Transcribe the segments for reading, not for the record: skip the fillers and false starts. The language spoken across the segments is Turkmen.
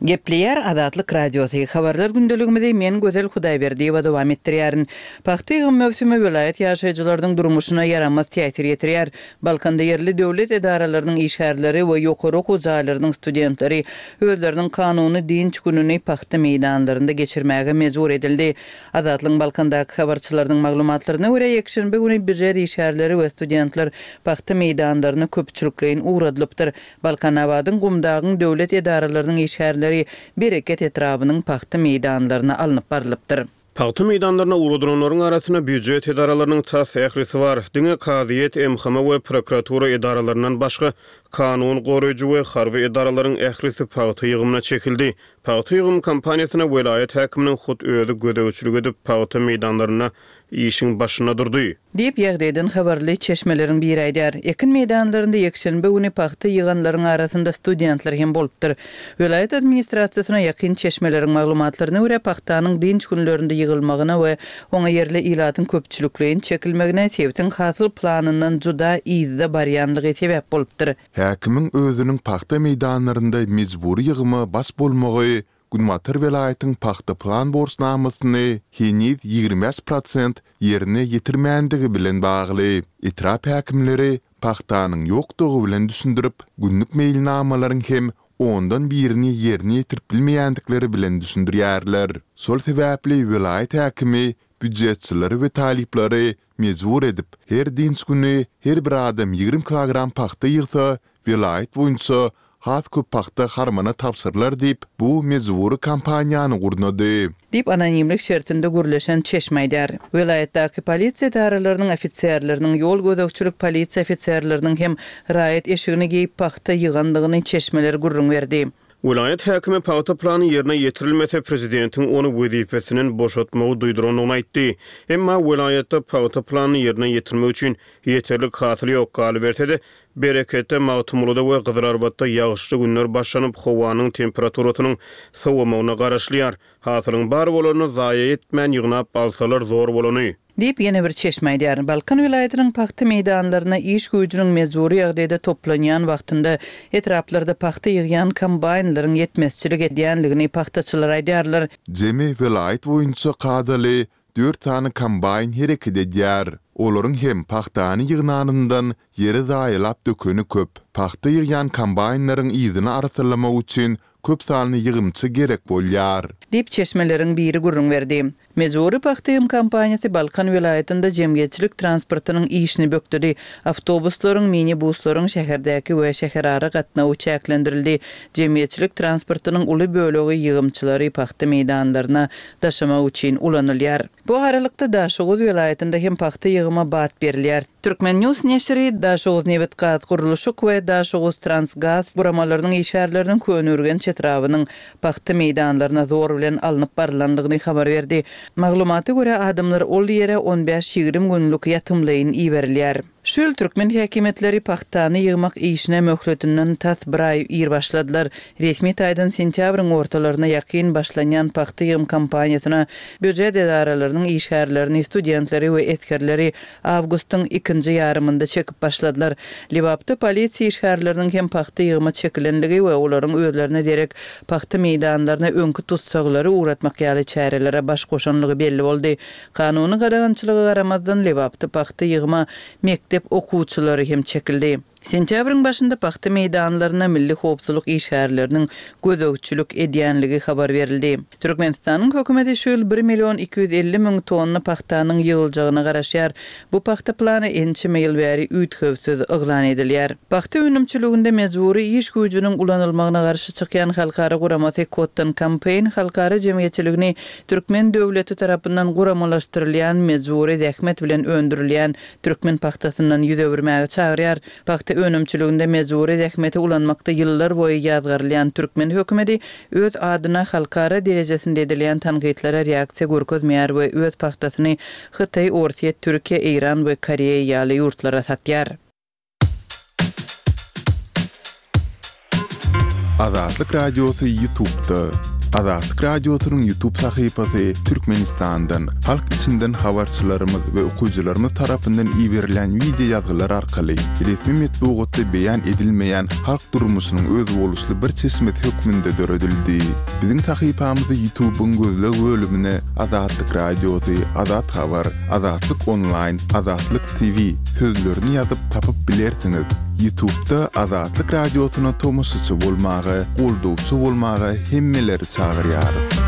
Gepleýär Azatlyk Radiosy, Habarlar gündeligimizi men Gözel Hudaýberdiýewa dowam etdirýärin. Pagta ýygym möwsümi welaýat ýaşaýjylarynyň durmuşyna ýaramaz täsir ýetirýär. Balkanda ýerli döwlet edaralarynyň işgärleri we ýokary okuw jaýlarynyň studentleri özleriniň kanuny dynç gününi pagta meýdanlarynda geçirmäge mejbur edildi. Azatlygyň Balkandaky habarçylarynyň maglumatlaryna görä, ýekşenbe güni býujet işgärleri we studentler pagta meýdanlaryna köpçülikleýin ugradylypdyr. Balkanabadyň, Gumdagyň döwlet edaralarynyň işgärleri Bereket etrabynyň pagta meýdanlaryna alnyp barlypdyr. Pagta meýdanlaryna ugradylanlaryň arasynda býujet edaralarynyň tas ählisi bar. Diňe kazyýet, MHM we prokuratura edaralaryndan başga kanun goraýjy we harby edaralaryň ählisi pagta ýygymyna çekildi. Pagta ýygym kampaniýasyna welaýat häkiminiň hut özi gözegçilik edip, pagta meýdanlarynda işiň başynda durdy. Diýip, ýagdaýdan habarly çeşmeleriň biri aýdýar. Ekin meýdanlarynda ýekşenbe güni pagta ýyganlaryň arasynda studentler hem bolupdyr. Welaýat administrasiýasyna ýakyn çeşmeleriň maglumatlaryna görä, pagtanyň dynç günlerinde ýygylmagyna we oňa ýerli ilatyň köpçülikleýin çekilmegine sebitiň hasyl planyndan juda yzda barýanlygy sebäp bolupdyr. Häkimiň özüniň pagta meýdanlarynda mejbury ýygyma baş bolmagy Günbatar welaýatyň pagta plan borçnamasyny heniz 25 prosent ýerine ýetirmändigi bilen bagly. Etrap häkimleri pagtanyň ýokdugy bilen düşündirip, günlük meýilnamalaryň hem ondan birini ýerine ýetirip bilmeýändikleri bilen düşündirýärler. Şol sebäpli welaýat häkimi býujetçileri we talyplary mejbur edip, her dynç güni her bir adam 20 kilogram pagta ýygsa, welaýat boýunça has köp pagta harmana tabşyrylar diýip, bu mejbury kampaniýany gurnady. Diýip, anonimlik şertinde gürleşen çeşme aýdýar. Welaýatdaky polisiýa edaralarynyň ofiserleriniň, ýol gözegçilik polisiýa ofiserleriniň hem raýat eşigini geýip pagta ýygandygyny çeşmeler gürrüň berdi. Welaýat häkimi pagta plany ýerine ýetirilmese, prezidentiň ony wezipesinden boşatmagy duýdurandygyny aýtdy. Emma welaýatda pagta planyny ýerine ýetirmek üçin ýeterlik hasyl ýok. Galyberse-de, Bereketde, Magtymgulyda we Gyzylarbatda ýagyşly günler başlanyp, howanyň temperaturasynyň sowamagyna garaşylýar. Hasylyň bar bolanyny zaýa etmän ýygnap alsalar zor bolany. Diýip, ýene bir çeşme aýdýar. Balkan welaýatynyň pagta meýdanlaryna iş güýjüniň mejbury ýagdaýda toplanýan wagtynda etraplarda pagta ýygýan kombaýnlaryň ýetmezçilik edýändigini pagtaçylar aýdýarlar. Jemi welaýat boýunça kadaly dört sany kombaýn hereket edýär. Olaryň hem pagtany ýygnanyndan ýere zaýalap dökeni köp. Pagta ýygýan kombaýnlaryň yzyny arassalamak üçin köp sanly ýygymçy gerek bolýar. Diýip, çeşmeleriň biri gürrüň berdi. Mejbury pagta ýygym kampaniýasy Balkan welaýatynda jemgyýetçilik transportynyň işini bökdedi. Awtobuslaryň, mini-buslaryň şäherdäki we şäherara gatnawy çäklendirildi. Jemgyýetçilik transportynyň uly bölegi ýygymçylary pagta meýdanlaryna daşamak üçin ulanylýar. Bu aralykda, Daşoguz welaýatynda hem pagta ýygyma bat berilýär. Turkmen. News neşiri Daşoguznebitgazgurluşyk we Daşoguztransgaz guramalarynyň işgärleriniň Köneürgenç etrabynyň pagta meýdanlaryna zor bilen alnyp barylandygyny habar berdi. Maglumata görä, adamlar ol ýere on bäş-ýigrimi günlük ýatymlaýyn iberilýär. Şu ýyl türkmen häkimiýetleri pagtany ýygmak işine möhletinden tas bir aý ir başladylar. Resmi taýdan sentýabryň ortalaryna ýakyn başlanýan pagta ýygym kampaniýasyna býujet edaralarynyň işgärlerini, studentleri we esgerleri awgustyň ikinji ýarymynda çekip başladylar. Lebapda polisiýa işgärleriniň hem pagta ýygyma çekilenligi we olaryň özlerine derek pagta meýdanlaryna öňki tussaglary ugratmak ýaly çärelere baş goşanlygy belli boldy. Kanuny gadagançylyga garamazdan, Lebapda pagta ýygyma mekdep okuwçylary hem çekildi. Sentýabryň başynda pagta meýdanlaryna milli howpsuzlyk işgärleriniň gözegçilik edýänligi habar berildi. Türkmenistanyň hökümeti şu ýyl bir million 250 müň tonna pagtanyň ýygyljagyna garaşýar. Bu pagta plany ençeme ýyl bäri üýtgewsiz yglan edilýär. Pagta önümçiliginde mejbury iş güýjüniň ulanylmagyna garşy çykýan halkara guramasy Cotton Campaign halkara jemgyýetçiligini Türkmen döwleti tarapyndan guramalaşdyrylýan mejbury zähmet bilen öndürilýän türkmen pagtasyndan ýüz öwürmäge çagyrýar. Pagta önümçiliginde mejbury zähmeti ulanmakda ýyllar boýy ýazgarylýan türkmen hökümeti öz adyna halkara derejesinde edilýän tankytlara reaksiýa görkezmeýär we öz pagtasyny Hytaý, Orsýet, Türkiýe, Eýran we Koreýa ýaly ýurtlara satýar. Azatlyk Radiosy Ýutubda. Azatlyk Radiosynyň YouTube sahypasy Türkmenistandan, halk içinden habarçylarymyz we okyjylarymyz tarapyndan iberilen wideo ýazgylar arkaly resmi metbugatda beýan edilmeýän halk durmuşynyň özboluşly bir çeşmesi hökmünde döredildi. Biziň sahypamyzy YouTube-yň gözleg bölümine Azatlyk Radiosy, Azat Habar, Azatlyk Onlaýn, Azatlyk TV sözlerini ýazyp tapyp bilersiňiz. Ýutubda Azatlyk Radiosyna tomaşaçy bolmaga, goldawçy bolmaga hemmeleri çagyrýarys.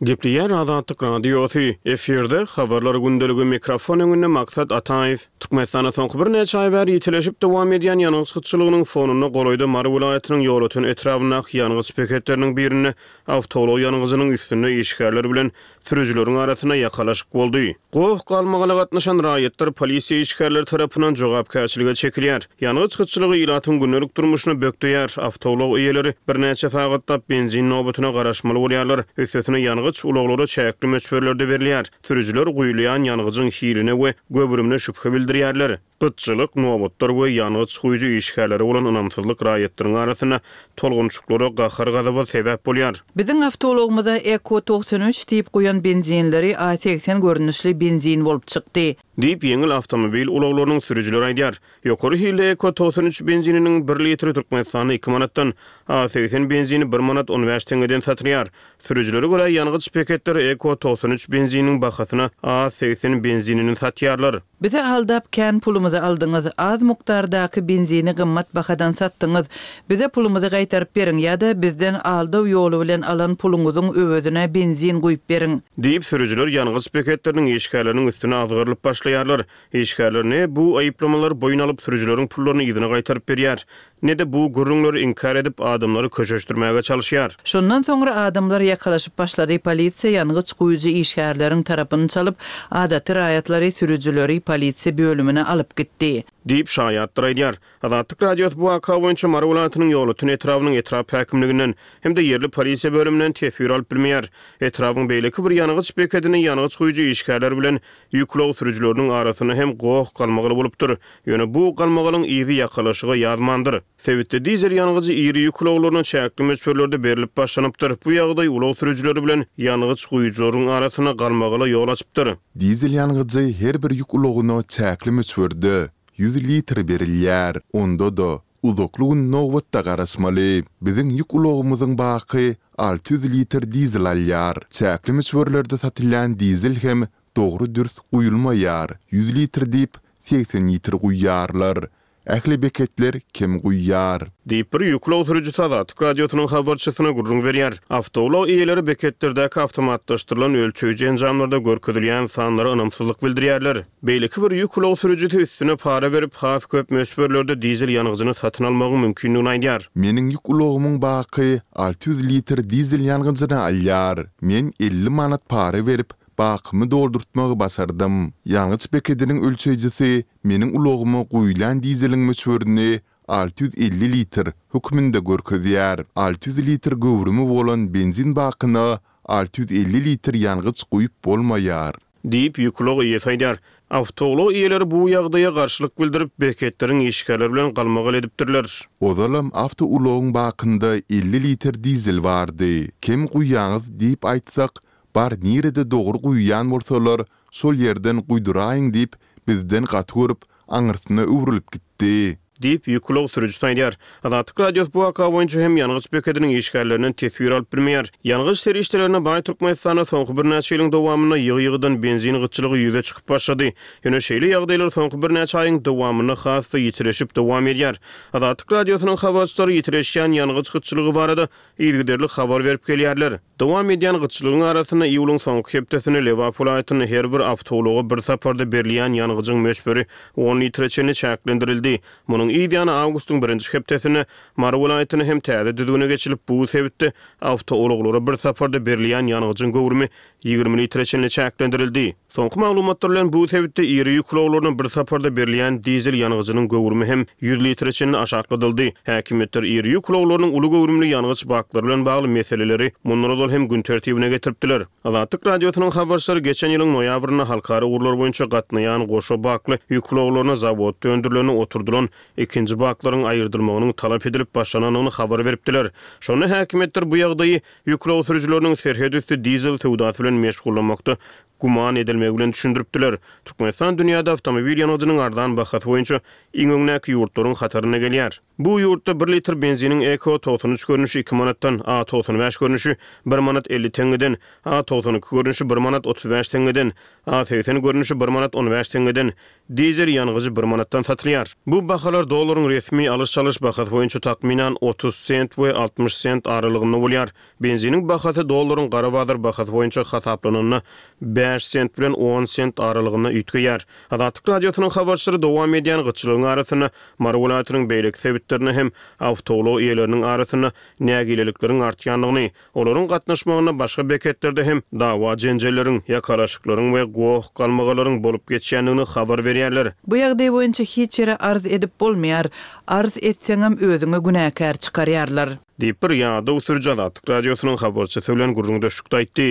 Gepleýär Azatlyk Radiosy, efirde, Habarlar gündeligi, mikrofon öňünde Maksat Ataýew. Türkmenistanda soňky birnäçe aý bäri ýitileşip dowam edýän ýangyç gytçylygynyň fonunda golaýda Mary welaýatynyň Ýolöten etrabyndaky ýangyç beketleriniň birinde awtoulag ýangyjynyň üstünde işgärler bilen Sürüjileriň arasynda ýakalaşyk boldy. Goh-galmagala gatnaşan raýatlar polisiýa işgärleri tarapyndan jogapkärçilige çekilýär. Ýangyç gytçylygy ilatyň gündelik durmuşyny bökdeýär, awtoulag eýeleri birnäçe sagatlap benzin nobatyna garaşmaly bolýarlar. Üstesine ýangyç ulaglara çäkli möçberlerde berilýär. Sürüjiler guýulýan ýangyjyň hiline we göwrümine şübhe bildirýärler. Gytçylyk, nobatlar we ýangyç guýujy işgärlere bolan ynamsyzlyk raýatlaryň arasynda tolgunşyklara, gahar-gazaba sebäp bolýar. Biziň awtoulagymyza Eko 93 diýip guýan benzinleri A 80 görnüşli benzin bolup çykdy. Diýip, ýeňil awtomobil ulaglarynyň sürüjileri aýdýar. Ýokary hilli Eko 93 benzininiň bir litri Türkmenistanda iki manatdan, A 80 benzini bir manat on bäş teňňeden satylýar. Sürüjilere görä, ýangyç beketleri Eko 93 benzininiň bahasyna A 80 benzinini satýarlar. Bizi aldap kän pulumyzy aldyňyz, az mukdardaky benzini gymmat bahadan satdyňyz. Bize pulumyzy gaýtaryp beriň ýa-da bizden aldaw ýoly bilen alan puluňyzyň öwezine benzin guýup beriň. Diýip, sürüjiler ýangyç beketleriniň işgärleriniň üstüne azgyrylyp başlaýarlar. Işgärler ne bu aýyplamalary boýun alyp, sürüjileriň pullaryny yzyna gaýtaryp berýär, ne-de bu gürrüňleri inkär edip, adamlary köşeşdirmäge çalyşýar. Şondan soňra adamlar ýakalaşyp başlady, polisiýa ýangyç guýujy işgärleriň tarapyny çalyp, adaty raýatlary, sürüjileri polisiýa bölümine alyp gitdi. Diýip, şaýatlar aýdýar. Azatlyk Radiosy bu waka boýunça Mary welaýatynyň Ýolöten etrabynyň etrap häkimliginden hem-de ýerli polisiýa bölüminden teswir alyp bilmeýär. Etrabyň beýleki bir ýangyç bekedinde ýangyç guýujy işgärler bilen Ýük ulag sürüjileriniň arasynda hem goh-galmagal bolupdyr. Ýöne bu galmagalyň yzy ýakalaşyga ýazmandyr. Sebitde dizel ýangyjy iri ýük ulaglaryna çäkli möçberlerde berlip başlanypdyr. Bu ýagdaý ulag sürüjileri bilen ýangyç guýujylaryň arasynda galmagala ýol açypdyr. Dizel ýangyjy her bir ýük ulagyna çäkli möçberde, 100 litr berilýär. Onda-da, uzakly gün nobatda garaşmaly. Biziň ýük ulagymyzyň baky 600 litr dizel alýar. Çäkli möçberlerde satylýan dizel hem dogry-dürs guýulmaýar, 100 litr diýip, 80 litr guýýarlar. Ähli beketler kem guýýar. Diýip, bir ýük ulag sürüjisi Azatlyk Radiosynyň habarçysyna gürrüň berýär. Awtoulag eýeleri beketlerdäki awtomatlaşdyrylan ölçeýji enjamlarda görkezilýän sanlara ynamsyzlyk bildirýärler. Beýleki bir ýük ulag sürüjisi üstüne para berip, has köp möçberlerde dizel ýangyjyny satyn almagyň mümkindigini aýdýar. Meniň ýük ulagymyň baky 600 litr dizel ýangyjyny alýar. Men 50 manat para berip, bakymy doldurtmagy başardym. Ýangyç bekediniň ölçeýjisi meniň ulagyma guýulýan dizeliň möçberini 650 litr hökmünde görkezýär. 600 litr göwrümi bolan benzin bakyna 650 litr ýangyç guýup bolmaýar. Diýip, ýük ulag eýesi aýdýar. Awtoulag eýeleri bu ýagdaýa garşylyk bildirip, beketleriň işgärleri bilen galmagal edipdirler. Ozalam awtoulagyň bakynda 50 litr dizel bardy. Kem guýýaňyz diýip aýtsak, bar nirede dogry guýýan bolsalar, şol ýerden guýduraýyň diýip, bizden gaty görüp, aňyrsyna öwrülip gitdi. Diýip, ýük ulag sürüjisi aýdýar. Azatlyk Radiosy bu waka boýunça hem ýangyç bekediniň işgärlerinden teswir alyp bilmeýär. Ýangyç serişdelerine baý Türkmenistanda soňky birnäçe ýylyň dowamynda ýygy-ýygydan benzin gytçylygy ýüze çykyp başlady. Ýöne şeýle ýagdaýlar soňky birnäçe aýyň dowamynda has-da ýitileşip dowam edýär. Azatlyk Radiosynyň habarçylary ýitileşýän ýangyç gytçylygy barada yzygiderli habar berip gelýärler. Dowam edýän gytçylygyň arasynda iýulyň soňky hepdesinde Lebap welaýatynda her bir awtoulaga bir saparda berilýän ýangyjyň möçberi on litre çenli çäklendirildi. Munuň yz ýany awgustyň birinji hepdesinde Mary welaýatynda hem täze düzgüne geçilip, bu sebitde awtoulaglara bir saparda berilýän ýangyjyň göwrümi 20 litre çenli çäklendirildi. Soňky maglumatlar bilen bu sebitde iri ýük ulaglaryna bir saparda berilýän dizel ýangyjynyň göwrümi hem 100 litre çenli aşakladyldy. Häkimiýetler iri ýük ulaglarynyň uly göwrümli ýangyç baklary bilen bagly meseleleri mundan ozal hem gün tertibine getiripdiler. Azatlyk Radiosynyň habarçylary geçen ýylyň noýabrynda halkara ugurlar boýunça gatnaýan goşa bakly ýük ulaglaryna zawodda öndürilende oturdylan. ikinji baklaryň aýyrdylmagynyň talap edilip başlanandygyny habar beripdiler. Şonda häkimiýetler bu ýagdaýy ýük ulag sürüjileriniň serhet üsti dizel söwdasy bilen meşgullanmakda güman edilmegi bilen düşündiripdiler. Türkmenistan dünýäde awtomobil ýangyjynyň arzan bahasy boýunça iň öňdäki ýurtlaryň hatarynda gelýär. Bu ýurtda bir litr benziniň Eko 93 görnüşi iki manatdan, A 95 görnüşi bir manat 50 teňňeden, A 92 görnüşi bir manat 35 teňňeden, A 80 görnüşi bir manat 15 teňňeden, dizel ýangyjy bir manatdan satylýar. Bu bahalar dollaryň resmi alyş-çalyş bahasy boýunça takmynan 30 sent we 60 sent aralygynda bolýar. Benziniň bahasy dollaryň gara bazar bahasy boýunça hasaplananda bäş sent bilen on sent aralygynda üýtgeýär. Azatlyk Radiosynyň habarçylary dowam edýän gytçylygyň arasynda Mary welaýatynyň beýleki sebitlerinde hem awtoulag eýeleriniň arasynda nägilelikleriň artýandygyny, olaryň gatnaşmagynda başga beketlerde hem dawa-jenjelleriň, ýakalaşyklaryň we goh-galmagalaryň bolup geçýändigini habar berýärler. Bu ýagdaý boýunça hiç ýere arz edip bolmaýar. Arz etseňem özüňi günäkär çykarýarlar. Diýip, bir ýadaw sürüji Azatlyk Radiosynyň habarçysy bilen gürrüňdeşlikde aýtdy.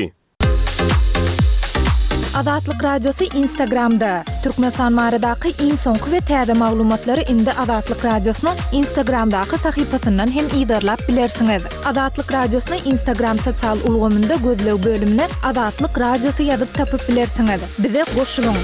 Azatlyk Radiosy Instagramda! Türkmenistan baradaky iň soňky we täze maglumatlary indi Azatlyk Radiosynyň Instagramdaky sahypasyndan hem yzarlap bilersiňiz. Azatlyk Radiosyny Instagram sosial ulgamynda gözleg bölümine Azatlyk Radiosy ýazyp tapyp bilersiňiz. Bize goşulyň!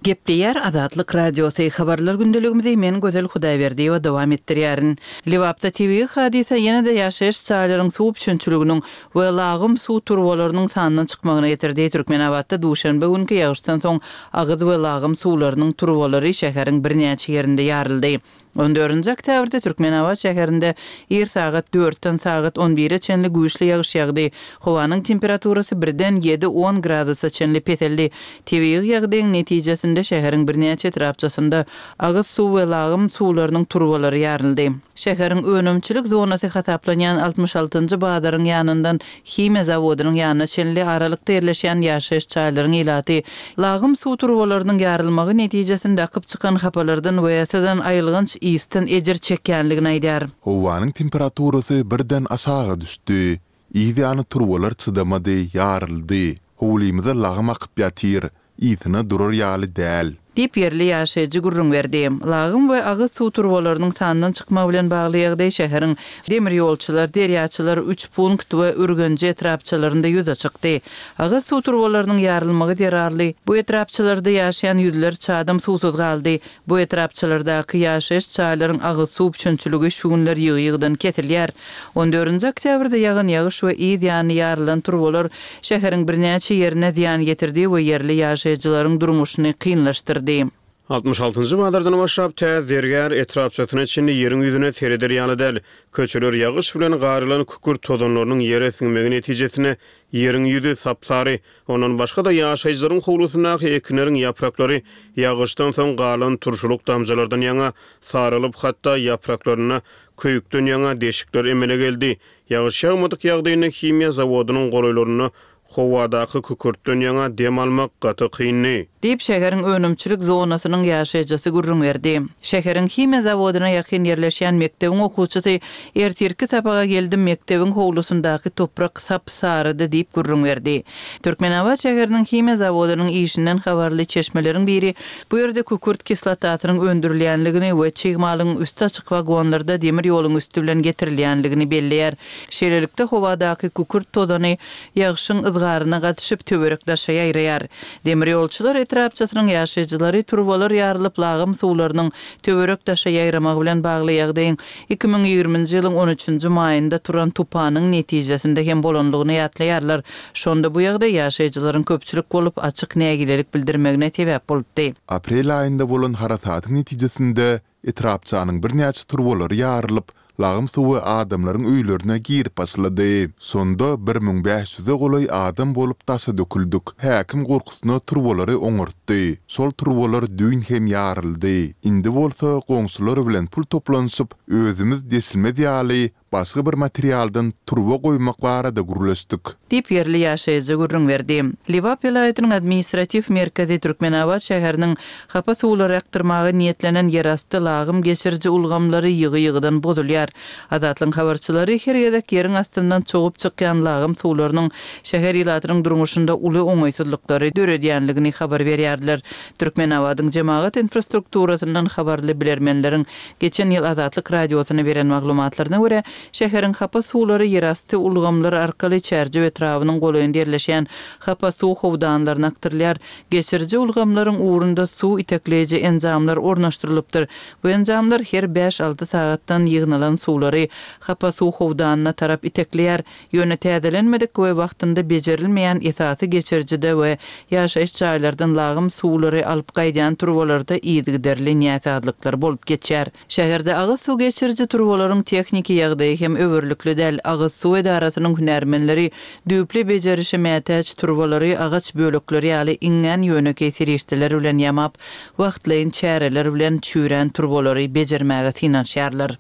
Gepleýär Azatlyk Radiosy, Habarlar gündeligimizi men Gözel Hudaýberdiýewa dowam etdirýärin. Lebapda tebigy hadysa ýene-de ýaşaýyş jaýlaryň suw üpjünçiliginiň we lagym suw turbalarynyň sandan çykmagyna getirdi. Türkmenabatda duşenbe günki ýagyşdan soň agyz we lagym suwlarynyň turbalary şäheriň birnäçe ýerinde ýaryldy. On dördünji oktýabrda Türkmenabat şäherinde ir sagat dörtden sagat on bire çenli güýçli ýagyş ýagdy. Howanyň temperaturasy birden ýedi-on gradusa çenli peseldi. Tebigy ýagdaýyň netijesinde şäheriň birnäçe etrapçasynda agyz suw we lagym suwlarynyň turbalary ýaryldy. Şäheriň önümçilik zonasy hasaplanýan 66-njy bazaryň ýanyndan Himiýa zawodynyň ýanyna çenli aralykda ýerleşýän ýaşaýyş jaýlaryň ilaty lagym suw turbalarynyň ýarylmagy netijesinde akyp çykan hapalardan we syzan aýylganç ysdan ejir çekýänligini aýdýar. Howanyň temperaturasy birden aşaga düşdi. Yz ýany turbalar çydamady, ýaryldy. Howlymyza lagym akyp ýatyr. Ysyna durar ýaly däl. Diýip, ýerli ýaşaýjy gürrüň berdi. Lagym we agyz suw turbalarynyň sandan çykmagy bilen bagly ýagdaý şäheriň Demirýolçylar, Derýaçylar, Üçpunkt we Ürgenji etrapçalarynda ýüze çykdy. Agyz suw turbalarynyň ýarylmagy zerarly, bu etrapçalarda ýaşaýan ýüzlerçe adam suwsuz galdy. Bu etrapçalardaky ýaşaýyş jaýlaryň agyz suw üpjünçiligi şu günler ýygy-ýygydan kesilýär. On dördünji oktýabrda ýagan ýagyş we yz ýany ýarylan turbalar şäheriň birnäçe ýerine zyýan ýetirdi we ýerli ýaşaýjylaryň durmuşyny kynlaşdyrdy. 66-njy bazardan başlap tä Zergär etrapçasyna çenli ýeriň ýüzüne sereder ýaly däl. Köçeler ýagyş bilen garylan kükürt tozanlarynyň ýere siňmegi netijesinde ýeriň ýüzi sap-sary. Ondan başga-da ýaşaýjylaryň howlusyndaky ekinleriň ýapraklary ýagyşdan soň galan turşulyk damjalardan ýaňa saralyp, hatda ýapraklarynda köýükden ýaňa deşikler emele geldi. Ýagyş ýagmadyk ýagdaýynda himiýa zawodynyň golaýlarynda howadaky kükürtden ýaňa dem almak gaty kyndy. Diýip, şäheriň önümçilik zonasynyň ýaşaýjysy gürrüň berdi. Şäheriň himiýa zawodyna ýakyn ýerleşýän mekdebiň okuwçysy, Ertirki sapaga geldim, mekdebiň howlusyndaky toprak sap-sarydy diýip gürrüň berdi. Türkmenabat şäheriniň himiýa zawodynyň işinden habarly çeşmeleriň biri bu ýerde kükürt kislotasynyň öndürilýänligini we çig malyň üsti açyk wagonlarda demir ýoluň üsti bilen getirilýänligini belleýär. Şeýlelikde, howadaky kükürt tozany ýagşyň yzgaryna gatyşyp, töwerek-daşa ýaýraýar. Demirýolçular etrapçasynyň ýaşaýjylary turbalar ýarylyp, lagym suwlarynyň töwerek-daşa ýaýramagy bilen bagly ýagdaýyň 2020-nji ýylyň on üçünji maýynda turan tupanyň netijesinde hem bolanlygyny ýatlaýarlar. Şonda bu ýagdaý ýaşaýjylaryň köpçülik bolup, açyk nägilelik bildirmegine sebäp bolupdy. Aprel aýynda bolan harasatyň netijesinde Etrapçanyň birnäçe turbalary ýarylyp, lagym suwy adamlaryň öýlerine girip başlady. Şonda 1500-e golaý adam bolup daşa döküldik. Häkim gorkusyna turbalary oňartdy. Şol turbalar düýn hem ýaryldy. Indi bolsa goňşular bilen pul toplanyşyp, özümiz deşilmez ýaly. başga bir materialdan turba goýmak barada gürleşdik. Diýip, ýerli ýaşaýjy gürrüň berdi. Lebap welaýatynyň administratiw merkezi Türkmenabat şäheriniň hapa suwlary akdyrmaga niýetlenen ýerasty lagym geçiriji ulgamlary ýygy-ýygydan bozulýar. Azatlygyň habarçylary her gezek ýeriň astyndan çogup çykýan lagym suwlarynyň şäher ilatynyň durmuşynda uly oňaýsyzlyklary döredýänligini habar berýärdiler. Türkmenabadyň jemagat infrastrukturasyndan habarly bilermenleriň geçen ýyl Azatlyk Radiosyna beren maglumatlaryna görä, Şäheriň hapa suwlary ýerasty ulgamlar arkaly Çärjew etrabynyň golaýynda ýerleşýän hapa suw howdanlaryna akdyrylýar. Geçiriji ulgamlaryň ugrunda suw itekleýji enjamlar ornaşdyrylypdyr. Bu enjamlar her bäş-alty sagatdan ýygnalan suwlary hapa suw howdanyna tarap itekleýär. Ýöne täzelenmedik we wagtynda bejerilmeýän esasy geçirijide we ýaşaýyş jaýlardan lagym suwlary alyp gaýdýan turbalarda yzygiderli näsazlyklar bolup geçýär. Şäherde agyz suw geçiriji turbalaryň tehniki ýagdaýy hem öwerlikli däl. Agyz suw edarasynyň hünärmenleri düýpli bejerişe mätäç turbalary agaç bölekleri ýaly iňňän ýönekeý serişdeler bilen ýamap, wagtlaýyn çäreler bilen çüýrän turbalary bejermäge synanyşýarlar.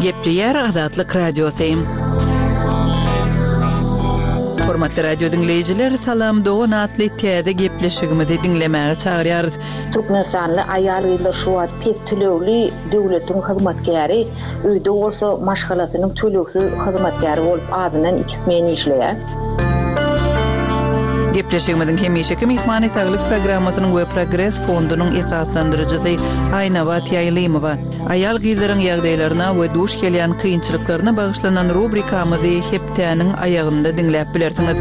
Gepleýär Azatlyk Radiosy. Hormatly radio diňleýjiler, Salam dogan atly täze gepleşigimizi diňlemäge çagyrýarys. Türkmenistanly aýal-gyzlar şu wagt pes tölegli döwletiň hyzmatkäri, öýde bolsa maşgalasynyň tölegsiz hyzmatkäri bolup azyndan iki smen işleýär. Gepleşigimiziň hemişeki myhmany Saglyk programmasynyň we Progres fondunyň esaslandyryjysy Aýnabat Ýaýlymowa. Aýal-gyzlaryň ýagdaýlaryna we duş gelýän kynçylyklaryna bagyşlanan rubrikamyzy hepdäniň aýagynda diňläp bilersiňiz.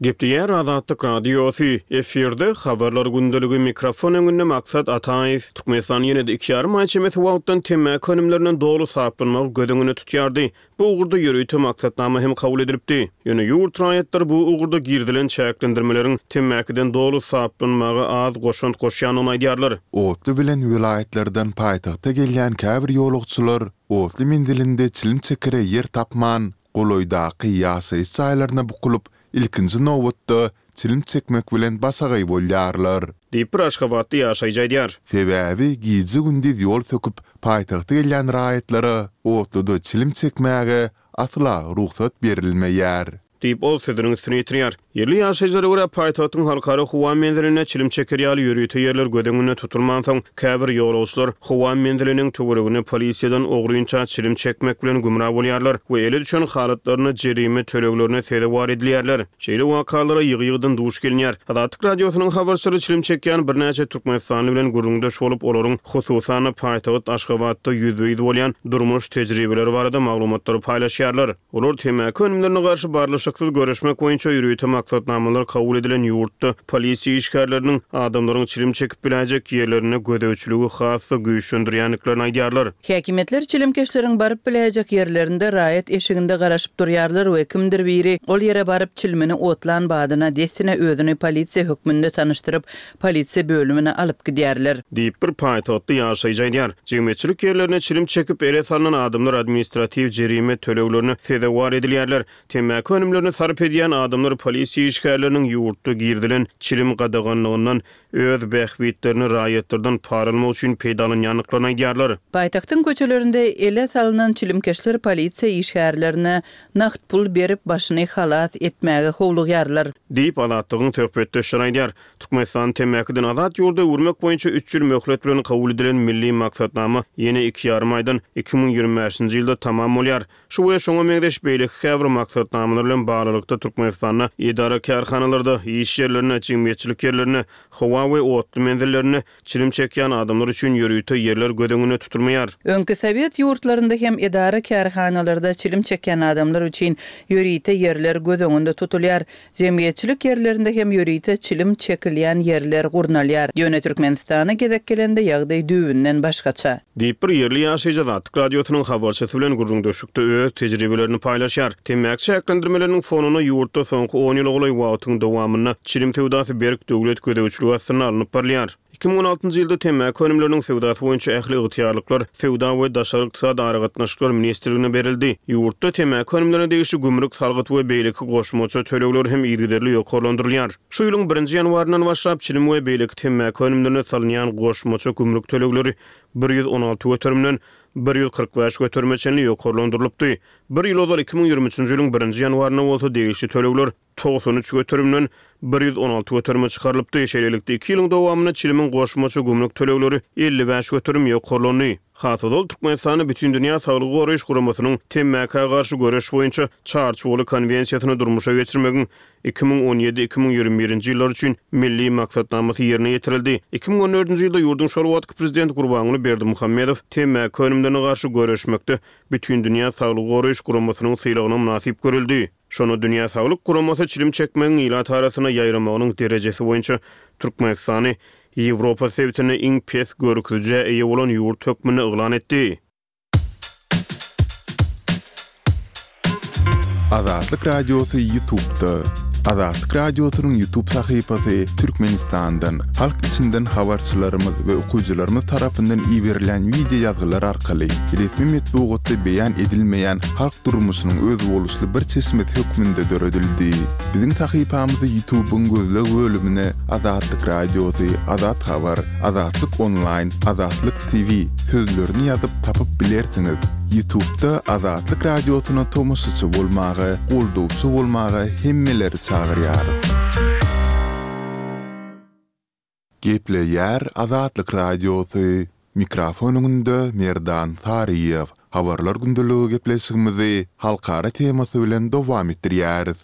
Gepleýär Azatlyk Radiosy, Efirde Habarlar gündeligi, mikrofon öňünde Maksat Ataýew. Türkmenistan ýene-de iki ýarym aý çemesi wagtdan temmäki önümlerinden doly saplanmagy göz öňünde tutýardy. Bu ugurda ýörite maksatnama hem kabul edilipdi. Ýöne ýurt raýatlary bu ugurda girizilen çäklendirmeleriň temmäkiden doly saplanmaga az goşant goşýandygyny aýdýarlar. Otly bilen welaýatlardan paýtagta gelýän käbir ýolagçylar otly menzilinde çilim çekere ýer tapman, golaýdaky ýaşaýyş jaýlaryna bukulyp, ilkinji nobatda çilim çekmek bilen başagaý bolýarlar. Diýip, bir aşgabatly ýaşaýjy aýdýar. Sebäbi gije-gündiz ýol söküp, paýtagta gelýän raýatlara otluda çilim çekmäge asla rugsat berilmeýär. Diýip, ol sözüniň üstüni ýetirýär. Ýerli ýaşaýjylara görä, paýtagtyň halkara howa menzilinde çilim çeker ýaly ýörite ýerler göz öňünde tutulmansoň, käbir ýolagçylar howa menziliniň töwereginde polisiýadan ogrynça çilim çekmek bilen gümra bolýarlar we ele düşen halatlarynda jerime töleglerine sezewar edilýärler. Şeýle wakalara ýygy-ýygydan duş gelinýär. Azatlyk Radiosynyň habarçylary çilim çekýän birnäçe türkmenistanly bilen gürrüňdeş bolup, olaryň, hususan-da, paýtagt Aşgabatda ýüzbe-ýüz bolýan durmuş tejribeleri barada maglumatlary paýlaşýarlar. Olar temmäki önümlerine garşy barlyşyksyz göreşmek boýunça ýörite maksatnamalar kabul edilen ýurtda polisiýa işgärleriniň adamlaryň çilim çekip biläýjek ýerlerinde gözegçiligi has-da güýçlendirýändiklerini aýdýarlar. Häkimiýetler çilimkeşleriň baryp biläýjek ýerlerinde raýat eşiginde garaşyp durýarlar we kimdir biri ol ýere baryp çilimini otlan badyna dessine özüni polisiýa hökmünde tanyşdyryp, polisiýa bölümine alyp gidýärler. Diýip, bir paýtagtly ýaşaýjy aýdýar. Jemgyýetçilik ýerlerinde çilim çekip, ele salnan adamlar administratiw jerime töleglerine sezewar edilýärler. Temmäki önümlerini sarp edýän adamlar polisiýa işgärleriniň ýurtda girizilen çilim gadaganlygyndan öz bähbitlerini raýatlardan para almak üçin peýdalanýandyklaryny aýdýarlar. Paýtagtyň köçelerinde ele salnan çilimkeşler polisiýa işgärlerine nagt pul berip, başyny halas etmäge howlugýarlar. Diýip, Azatlygyň söhbetdeşleri aýdýar. Türkmenistany temmäkiden azat ýurda öwürmek boýunça üç ýyl möhlet bilen kabul edilen Milli maksatnama ýene iki ýarym aýdan, 2025-nji ýylda tamam bolýar. Şu we şoňa meňzeş beýleki käbir maksatnamalar bilen baglylykda Türkmenistanda edara-kärhanalarda, iş ýerlerinde, jemgyýetçilik ýerlerinde, howa we otly menzillerinde çilim çekýän adamlar üçin ýörite ýerler göz öňünde tutulmaýar. Öňki sowet ýurtlarynda hem edara-kärhanalarda çilim çekýän adamlar üçin ýörite ýerler göz öňünde tutulýar. Jemgyýetçilik ýerlerinde hem ýörite çilim çekilýän ýerler gurnalýar. Ýöne Türkmenistana gezek gelende ýagdaý düýbünden başgaça. Diýip, bir ýerli ýaşaýjy Azatlyk Radiosynyň habarçysy bilen gürrüňdeşlikde öz tejribelerini paýlaşýar. Temmäki çäklendirmeleriniň fonunda ýurtda soňky on ýyla golaý wagtyň dowamynda çilim söwdasy berk döwlet gözegçiligi astynda alnyp barylýar. 2016-njy ýylda temmäki önümleriniň söwdasy boýunça ähli ygtyýarlyklar Söwda we daşary ykdysady aragatnaşyklar ministrligine berildi. Ýurtda temmäki önümlerine degişli gümrük salgyt we beýleki goşmaça tölegler hem yzygiderli ýokarlandyrylýar. Şu ýylyň birinji ýanwaryndan başlap, çilim we beýleki temmäki önümlerine salynýan goşmaça gümrük tölegleri 116 göterimden 145 göterime çenli ýokarlandyrylypdy. Bir ýyl ozal, 2023-nji ýylyň birinji ýanwarynda bolsa degişli tölegler 93 göterimden 116 göterime çykarylypdy. Şeýlelikde, iki ýylyň dowamynda çilimiň goşmaça gümrük tölegleri 55% ýokarlandy. Has ozal, Türkmenistanda Bütindünýä Saglygy Goraýyş Guramasynyň temmäkä garşy göreş boýunça Çarçuwaly konwensiýasyny durmuşa geçirmegiň 2017, 2021-nji ýyllar üçin Milli maksatnamasy ýerine ýetirildi. 2014-nji ýylda ýurduň şol wagtky Prezidenti Gurbanguly Berdimuhamedow temmäki önümlerine garşy göreşmekde Bütindünýä Saglygy Goraýyş Guramasynyň sylagyna mynasyp görüldi. Şonda Dünýä Saglyk Guramasy çilim çekmegiň ilat arasynda ýaýramagynyň derejesi boýunça Türkmenistany Ýewropa sebitinde iň pes görkezijä eýe bolan ýurt hökmünde yglan etdi. Azatlyk Radiosy Ýutubda. Azatlyk Radiosynyň Ýutub sahypasy Türkmenistandan, halk içinden habarçylarymyz we okyjylarymyz tarapyndan iberilen wideo ýazgylar arkaly resmi metbugatda beýan edilmeýän halk durmuşynyň özboluşly bir çeşmesi hökmünde döredildi. Biziň sahypamyzy Ýutubyň gözleg bölümine Azatlyk Radiosy, Azat Habar, Azatlyk Onlaýn, Azatlyk TV sözlerini ýazyp tapyp bilersiňiz. Ýutubda Azatlyk Radiosyna tomaşaçy bolmaga, goldawçy bolmaga hemmeleri çagyrýarys. Gepleýär Azatlyk Radiosy, Mikrofon öňünde Merdan Saryýew. Habarlar gündeligi gepleşigimizi halkara temasy bilen dowam etdirýäris.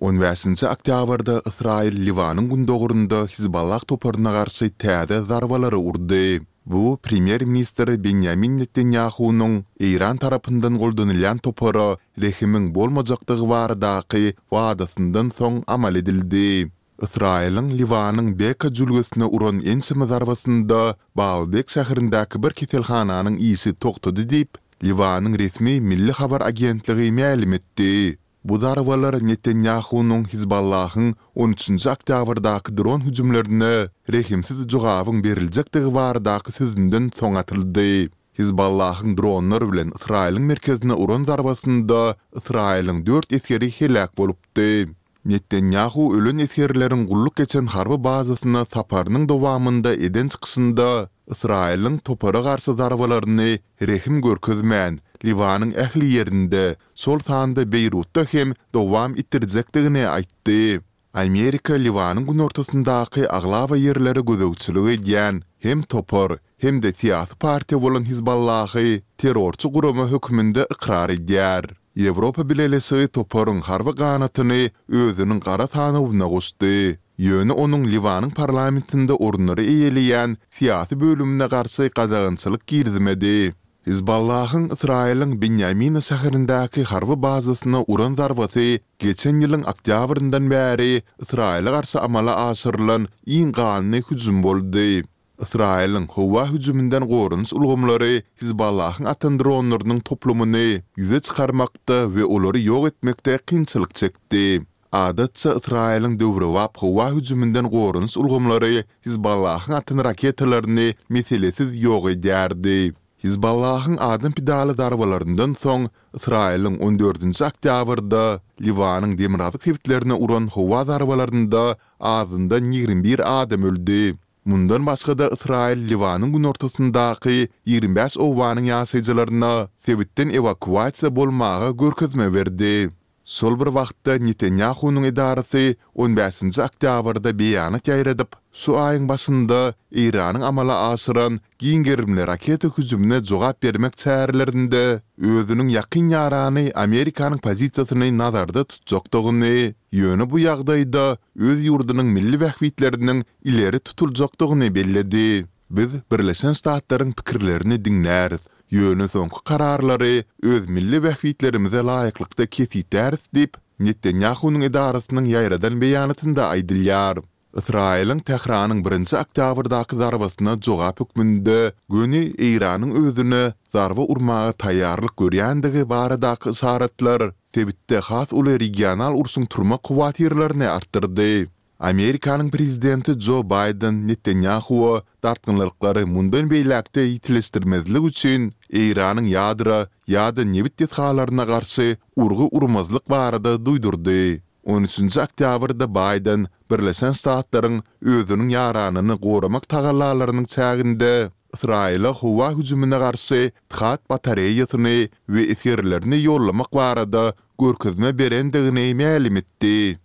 On bäşinji oktýabrda Ysraýyl Liwanyň gündogarynda Hizballah toparyna garşy täze zarbalary urdy. Bu premýer-ministr Benýamin Netanýahunyň Eýran tarapyndan goldanylýan topara rehimiň bolmajakdygy baradaky wadasyndan soň amal edildi. Ysraýylyň Liwanyň Beka jülgesine uran ençeme zarbasynda Baalbek şäherindäki bir keselhananyň işi togtady diýip, Liwanyň resmi Milli habar agentligi mälim etdi. Bu zarbalar Netanýahunyň Hizballahyň on üçünji oktýabrdaky dron hüjümlerine rehimsiz jogabyň beriljekdigi baradaky sözünden soň atyldy. Hizballahyň dronlar bilen Ysraýylyň merkezine uran zarbasynda Ysraýylyň dört esgeri heläk bolupdy. Netanýahu ölen esgerleriň gulluk geçen harby bazasyna saparynyň dowamynda eden çykyşynda Ysraýylyň topara garşy zarbalaryny rehim görkezmän, Liwanyň ähli ýerinde, şol sanda Beýrutda hem dowam etdirjekdigini aýtdy. Amerika Liwanyň günortasyndaky aglaba ýerlere gözegçilik edýän hem topar, hem-de syýasy partiýa bolan Hizballahy terrorçy gurama hökmünde ykrar edýär. Ýewropa Bileleşigi toparyň harby ganatyny özüniň gara sanawyna goşdy. Ýöne onuň Liwanyň parlamentinde orunlary eýeleýän syýasy bölümine garşy gadagançylyk girizmedi. Hizballahyň Ysraýylyň Binýamina şäherindäki harby bazasyna uran zarbasy geçen ýylyň oktýabryndan bäri Ysraýyla garşy amala aşyrylan iň ganly hüjüm boldy. Ysraýylyň howa hüjüminden goranyş ulgamlary Hizballahyň atan dronlarynyň toplumyny ýüze çykarmakda we olary ýok etmekde kynçylyk çekdi. Adatça Ysraýylyň döwrebap howa hüjüminden goranyş ulgamlary Hizballahyň atan raketalaryny meselesiz ýok edýärdi. Hizballahyň adam pidaly zarbalaryndan soň Ysraýylyň on dördünji oktýabrda Liwanyň demirgazyk sebitlerine uran howa zarbalarynda azyndan 21 adam öldi. Mundan başga-da Ysraýyl Liwanyň günortasyndaky 25 obanyň ýaşaýjylaryna sebitden ewakuasiýa bolmaga görkezme berdi. Şol bir wagtda Netanýahunyň edarasy on bäşinji oktýabrda beýanat ýaýradyp, şu aýyň başynda Eýranyň amala aşyran giň gerimli raketa hüjümine jogap bermek çärelerinde özüniň ýakyn ýarany Amerikanyň pozisiýasyny nazarda tutjakdygyny, ýöne bu ýagdaýda öz ýurdunyň milli bähbitleriniň ileri tutuljakdygyny belledi. Biz Birleşen Ştatlaryň pikirlerini diňläris, ýöne soňky kararlary öz milli bähbitlerimize laýyklykda kesgitläris diýip, Netanýahunyň edarasynyň ýaýradan beýanatynda aýdylýar. Ysraýylyň Tähranyň birinji oktýabrdaky zarbasyna jogap hökmünde göni Eýranyň özüne zarba urmaga taýýarlyk görýändigi baradaky yşaratlar sebitde has uly regional urşuň turmak howatyrlaryny artdyrdy. Amerikanyň prezidenti Jo Baýden Netanýahuwa dartgynlyklary mundan beýläk-de ýitileşdirmezlik üçin Eýranyň ýadro ýa-da nebit desgalaryna garşy urgy urmazlyk barada duýdurdy. On üçünji oktýabrda Baýden Birleşen Ştatlaryň özüniň ýaranyny goramak tagallalarynyň çäginde Ysraýyla howa hüjümine garşy THAAD batareýasyny we esgerlerini ýollamak barada görkezme berendigini mälim etdi.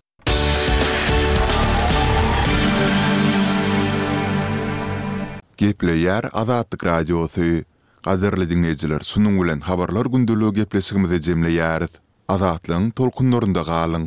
Gepleýär Azatlyk Radiosy. Gadyrly diňleýjiler şunuň bilen Habarlar gündeligi gepleşigimizi jemleýäris. Azatlygyň tolkunlarynda galyň!